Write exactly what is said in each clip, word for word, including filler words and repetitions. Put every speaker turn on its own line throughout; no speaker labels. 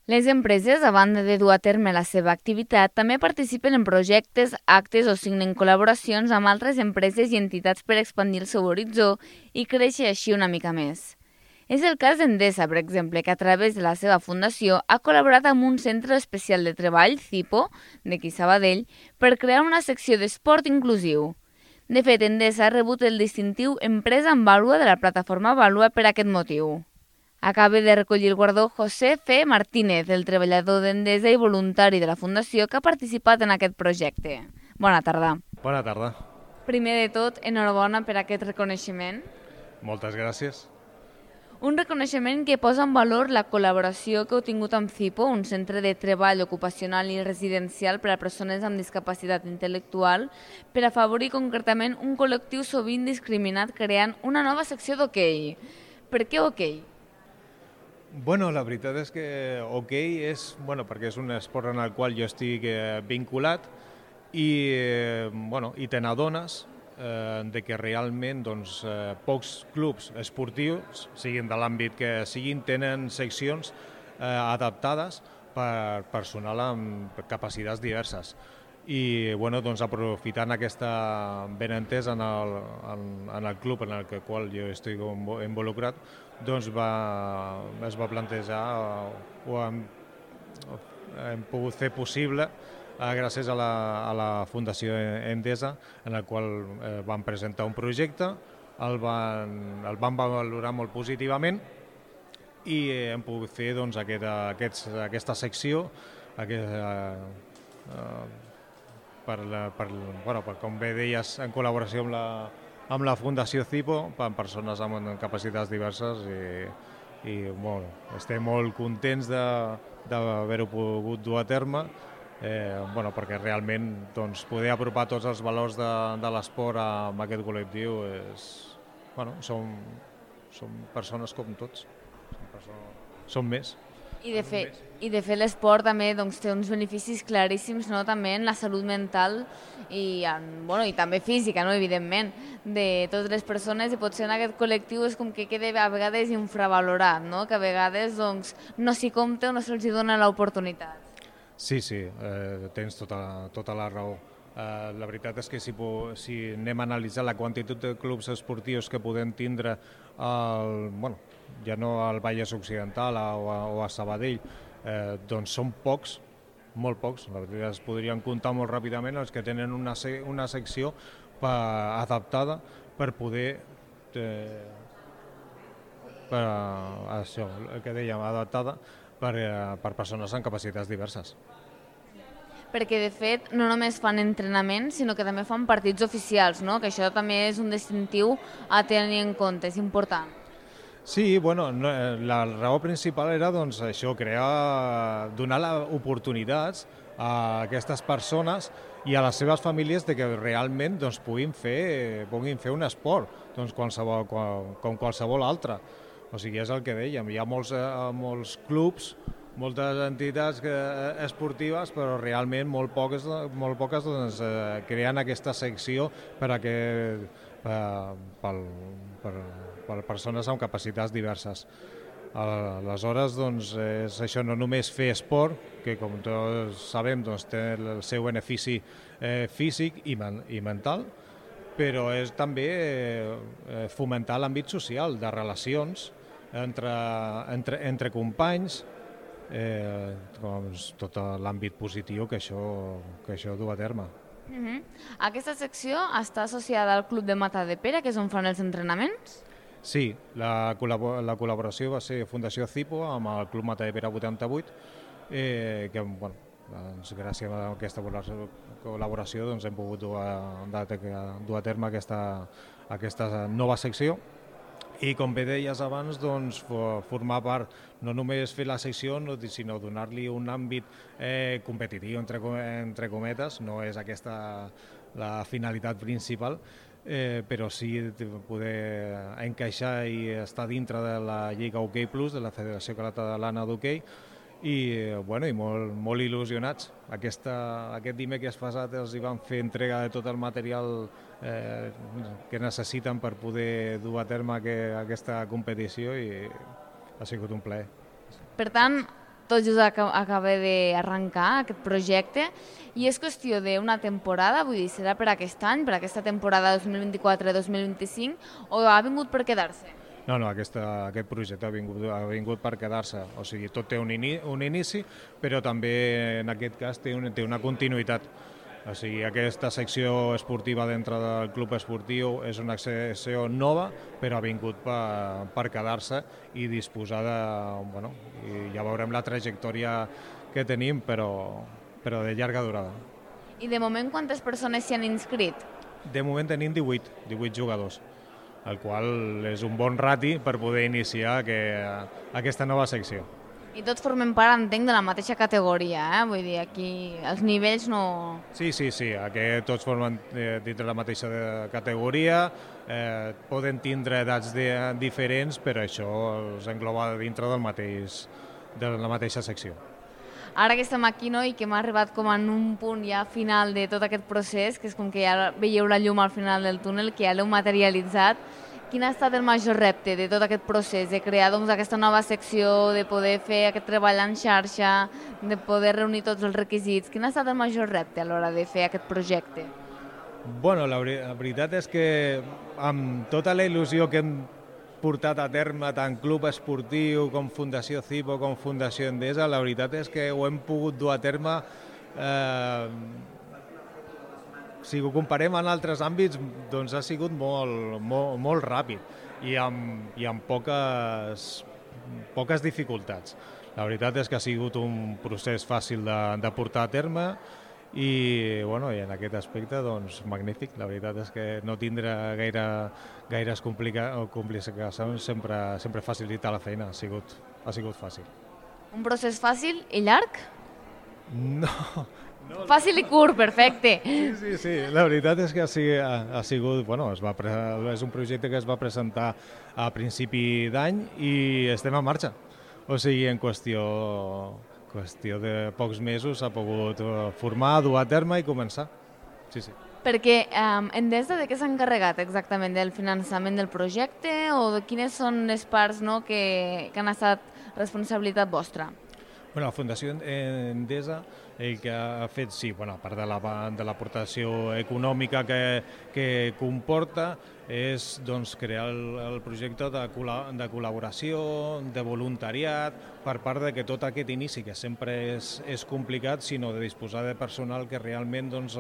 Les empreses, a banda de dur a terme la seva activitat, també participen en projectes, actes o signen col·laboracions amb altres empreses i entitats per expandir el seu horitzó i créixer així una mica més. És el cas d'Endesa, per exemple, que a través de la seva fundació ha col·laborat amb un centre especial de treball, CIPO, d'aquí Sabadell, per crear una secció d'esport inclusiu. De fet, Endesa ha rebut el distintiu Empresa amb Vàlua de la plataforma Vàlua per aquest motiu. Acaba de recollir el guardó José F. Martínez, el treballador d'Endesa i voluntari de la Fundació que ha participat en aquest projecte. Bona tarda.
Bona tarda.
Primer de tot, enhorabona per aquest reconeixement.
Moltes gràcies.
Un reconeixement que posa en valor la col·laboració que heu tingut amb CIPO, un centre de treball ocupacional i residencial per a persones amb discapacitat intel·lectual, per afavorir concretament un col·lectiu sovint discriminat creant una nova secció d'hoquei. Per què hoquei?
Bueno, la veritat és que hoquei és, bueno, perquè és un esport en el qual jo estic eh, vinculat i, eh, bueno, i te n'adones eh, de que realment doncs, eh, pocs clubs esportius, siguin de l'àmbit que siguin, tenen seccions eh, adaptades per personal amb capacitats diverses. I bueno, doncs, aprofitant aquesta benentesa en el, en, en el club en el qual jo estic involucrat, doncs va, es va plantejar o hem, hem pogut fer possible eh, gràcies a la, a la Fundació Endesa, en el qual eh, van presentar un projecte, el van, el van valorar molt positivament i hem pogut fer doncs, aquesta, aquests, aquesta secció aquesta, eh, Per, la, per, bueno, per, com bé deies, en col·laboració amb la, amb la Fundació CIPO, per persones amb capacitats diverses i, i bueno, estem molt contents d'haver-ho pogut dur a terme, eh, bueno, perquè realment doncs, poder apropar tots els valors de, de l'esport amb aquest col·lectiu és, bueno, som, som persones com tots, som, persones, som més.
I de fet, i de fet l'esport també doncs, té uns beneficis claríssims, no? També en la salut mental i, en, bueno, i també física, no? Evidentment, de totes les persones, i potser en aquest col·lectiu és com que queda a vegades infravalorat, no? Que a vegades doncs, no s'hi compta o no se'ls dona l'oportunitat.
Sí, sí, eh, tens tota, tota la raó. Eh, la veritat és que si, si anem a analitzar la quantitat de clubs esportius que podem tindre al, bueno, ja no al Vallès Occidental o a, o a Sabadell, eh, doncs són pocs, molt pocs, la veritat es podrien comptar molt ràpidament els que tenen una, una secció per, adaptada per poder eh, per, això, el que dèiem, adaptada per, eh, per persones amb capacitats diverses.
Perquè, de fet, no només fan entrenaments, sinó que també fan partits oficials, no? Que això també és un distintiu a tenir en compte, és important.
Sí, bueno, no, la raó principal era doncs, això, crear, donar oportunitats a aquestes persones i a les seves famílies de que realment doncs, puguin, fer, puguin fer un esport doncs, qualsevol, com qualsevol altre. O sigui, és el que dèiem, hi ha molts, molts clubs, moltes entitats esportives, però realment molt poques, molt poques doncs, creen aquesta secció per a que, per, per, per, per persones amb capacitats diverses. Aleshores, doncs, és això, no només fer esport, que com tots sabem doncs, té el seu benefici eh, físic i, men i mental, però és també eh, fomentar l'àmbit social, de relacions entre, entre, entre companys, eh, doncs, tot l'àmbit positiu que això, que això du a terme.
Uh-huh. Aquesta secció està associada al Club de Matadepera, que és on fan els entrenaments?
Sí, la, col·labor la col·laboració va ser Fundació CIPO amb el Club Matadepera vuitanta-vuit, eh, que bueno, doncs, gràcies a aquesta col·laboració doncs, hem pogut dur a, dur a terme aquesta, aquesta nova secció. I com bé deies abans, doncs, formar part, no només fer la secció, sinó donar-li un àmbit eh, competitiu, entre, entre cometes, no és aquesta la finalitat principal, eh, però sí poder encaixar i estar dintre de la Lliga Hoquei Plus, de la Federació Catalana d'Hoquei, i, bueno, i molt, molt il·lusionats. Aquesta, aquest dimecres passat els hi van fer entrega de tot el material eh, que necessiten per poder dur a terme que, aquesta competició i ha sigut un plaer.
Per tant, tot just acaba d'arrencar aquest projecte i és qüestió d'una temporada, vull dir, serà per aquest any, per aquesta temporada dos mil vint-i-quatre dos mil vint-i-cinc, o ha vingut per quedar-se?
No, no, aquesta, aquest projecte ha vingut, ha vingut per quedar-se. O sigui, tot té un, ini, un inici, però també en aquest cas té, un, té una continuïtat. O sigui, aquesta secció esportiva dintre del club esportiu és una secció nova, però ha vingut per, per quedar-se i disposar de... Bueno, i ja veurem la trajectòria que tenim, però, però de llarga durada.
I de moment quantes persones s'hi han inscrit?
De moment tenim divuit, divuit jugadors, el qual és un bon rati per poder iniciar que, aquesta nova secció.
I tots formen part, entenc, de la mateixa categoria, eh? Vull dir, aquí els nivells no...
Sí, sí, sí, aquí tots formen eh, dintre la mateixa categoria, eh, poden tindre edats de, diferents, però això els engloba dintre del mateix, de la mateixa secció.
Ara que estem aquí, no?, i que hem arribat com en un punt ja final de tot aquest procés, que és com que ja veieu la llum al final del túnel, que ja l'heu materialitzat, quin ha estat el major repte de tot aquest procés, de crear doncs, aquesta nova secció, de poder fer aquest treball en xarxa, de poder reunir tots els requisits? Quin ha estat el major repte a l'hora de fer aquest projecte?
Bueno, la, la veritat és que amb tota la il·lusió que hem portat a terme tant Club Esportiu com Fundació Cipo com Fundació Endesa, la veritat és que ho hem pogut dur a terme eh, si ho comparem en altres àmbits, doncs ha sigut molt, molt, molt ràpid i amb, i amb poques, poques dificultats. La veritat és que ha sigut un procés fàcil de, de portar a terme i, bueno, i en aquest aspecte doncs, magnífic. La veritat és que no tindrà gaire, gaires complicacions sempre, sempre facilita la feina, ha sigut, ha sigut fàcil.
Un procés fàcil i llarg?
No...
No, fàcil i curt, perfecte.
Sí, sí, sí. La veritat és que ha, ha sigut, bueno, es va, és un projecte que es va presentar a principi d'any i estem en marxa. O sigui, en qüestió, qüestió de pocs mesos s'ha pogut formar, dur a terme i començar. Sí, sí.
Perquè um, Endesa de què s'ha encarregat exactament? Del finançament del projecte o de quines són les parts, no, que, que han estat responsabilitat vostra?
Bueno, la Fundació Endesa el que ha fet, sí, bueno, a part de, la, de l'aportació econòmica que, que comporta, és doncs, crear el, el projecte de, de col·laboració, de voluntariat, per part de que tot aquest inici, que sempre és, és complicat, sinó de disposar de personal que realment doncs,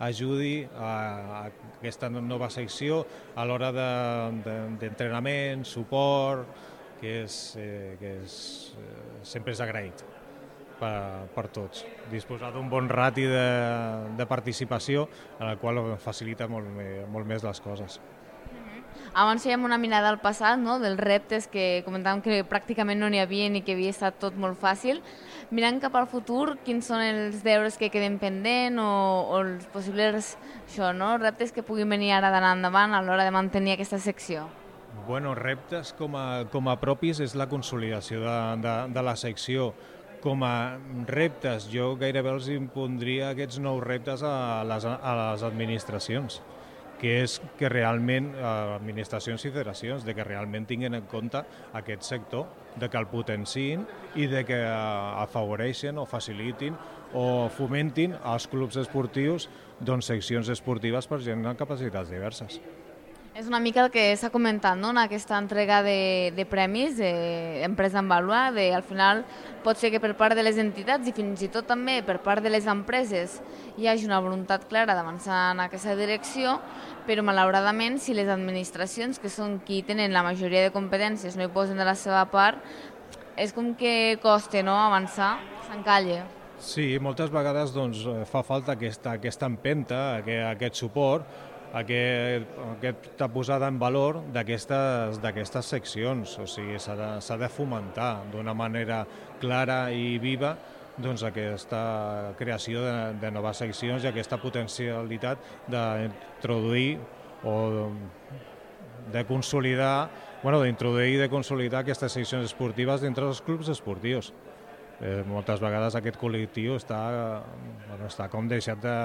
ajudi a, a aquesta nova secció a l'hora de, de, d'entrenament, suport, que, és, eh, que és, eh, sempre és agraït per, per tots. Disposar d'un bon rati de, de participació en el qual facilita molt, molt més les coses.
Abans fèiem una mirada al passat, no?, dels reptes que comentàvem que pràcticament no n'hi havia i que havia estat tot molt fàcil. Mirant cap al futur, quins són els deures que queden pendent o, o els possibles això, no?, reptes que puguin venir ara d'anar endavant a l'hora de mantenir aquesta secció?
Bueno, reptes com a, com a propis és la consolidació de, de, de la secció. Com a reptes, jo gairebé els impondria aquests nous reptes a les, a les administracions, que és que realment, administracions i federacions, de que realment tinguin en compte aquest sector, de que el potenciïn i de que afavoreixen o facilitin o fomentin als clubs esportius doncs, seccions esportives per gent amb capacitats diverses.
És una mica el que s'ha comentat, no?, en aquesta entrega de, de premis d'Empresa en Vàlua, de, al final pot ser que per part de les entitats i fins i tot també per part de les empreses hi hagi una voluntat clara d'avançar en aquesta direcció, però malauradament si les administracions, que són qui tenen la majoria de competències, no hi posen de la seva part, és com que costa, no?, avançar, s'encalla.
Sí, moltes vegades doncs, fa falta aquesta, aquesta empenta, aquest, aquest suport, Aquest, aquesta posada en valor d'aquestes d'aquestes seccions, o sigui, s'ha de, s'ha de fomentar d'una manera clara i viva doncs, aquesta creació de, de noves seccions i aquesta potencialitat d'introduir o de consolidar, bueno, d'introduir i de consolidar aquestes seccions esportives dintre dels clubs esportius. Eh, moltes vegades aquest col·lectiu està, bueno, està com deixat de,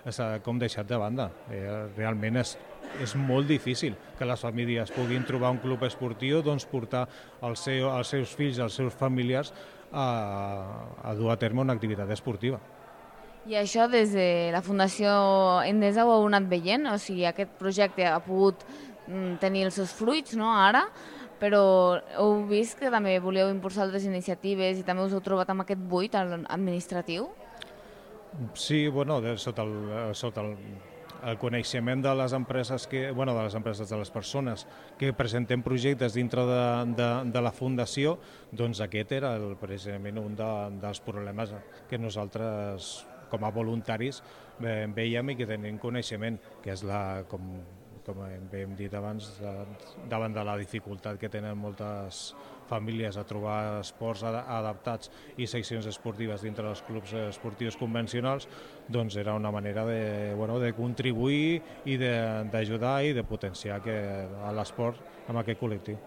està com deixat de banda. Eh, realment és, és molt difícil que les famílies puguin trobar un club esportiu, doncs portar el seu, els seus fills, els seus familiars a, a dur a terme una activitat esportiva.
I això des de la Fundació Endesa ho heu anat veient? O sigui, aquest projecte ha pogut mm, tenir els seus fruits, no?, ara, però heu vist que també volíeu impulsar altres iniciatives i també us heu trobat amb aquest buit administratiu?
Sí, bueno, de, sota, el, sota el, el coneixement de les empreses, que, bueno, de les empreses, de les persones que presentem projectes dintre de, de, de la Fundació, doncs aquest era el, precisament un de, dels problemes que nosaltres, com a voluntaris, veiem i que tenim coneixement, que és la, com, com hem dit abans, de, davant de la dificultat que tenen moltes famílies a trobar esports adaptats i seccions esportives dintre dels clubs esportius convencionals, doncs era una manera de, bueno, de contribuir i d'ajudar i de potenciar que, a l'esport amb aquest col·lectiu.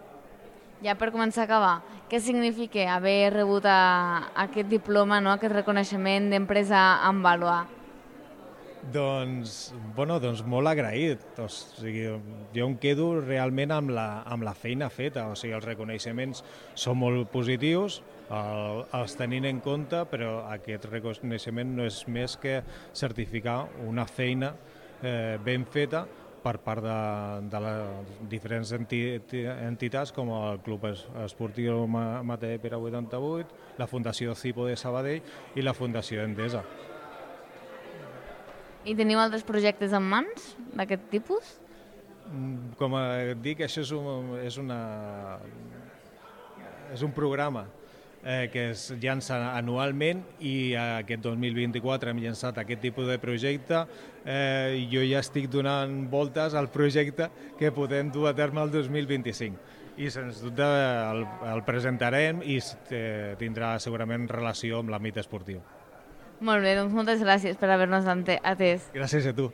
Ja per començar a acabar, què significa haver rebut a, aquest diploma, no?, aquest reconeixement d'empresa amb vàlua?
Doncs, bueno, doncs molt agraït. O sigui, jo em quedo realment amb la, amb la feina feta. O sigui, els reconeixements són molt positius, el, els tenint en compte, però aquest reconeixement no és més que certificar una feina eh, ben feta per part de, de les diferents entitats com el Club Esportiu Mateu Pere vuitanta-vuit, la Fundació Cipo de Sabadell i la Fundació Endesa.
I teniu altres projectes en mans d'aquest tipus?
Com et dic, això és un, és una, és un programa eh, que es llança anualment i aquest dos mil vint-i-quatre hem llançat aquest tipus de projecte. Eh, jo ja estic donant voltes al projecte que podem dur a terme el dos mil vint-i-cinc. I sens dubte el, el presentarem i eh, tindrà segurament relació amb l'àmbit esportiu.
Molt bé, doncs moltes gràcies per haver-nos atès.
Gràcies a tu.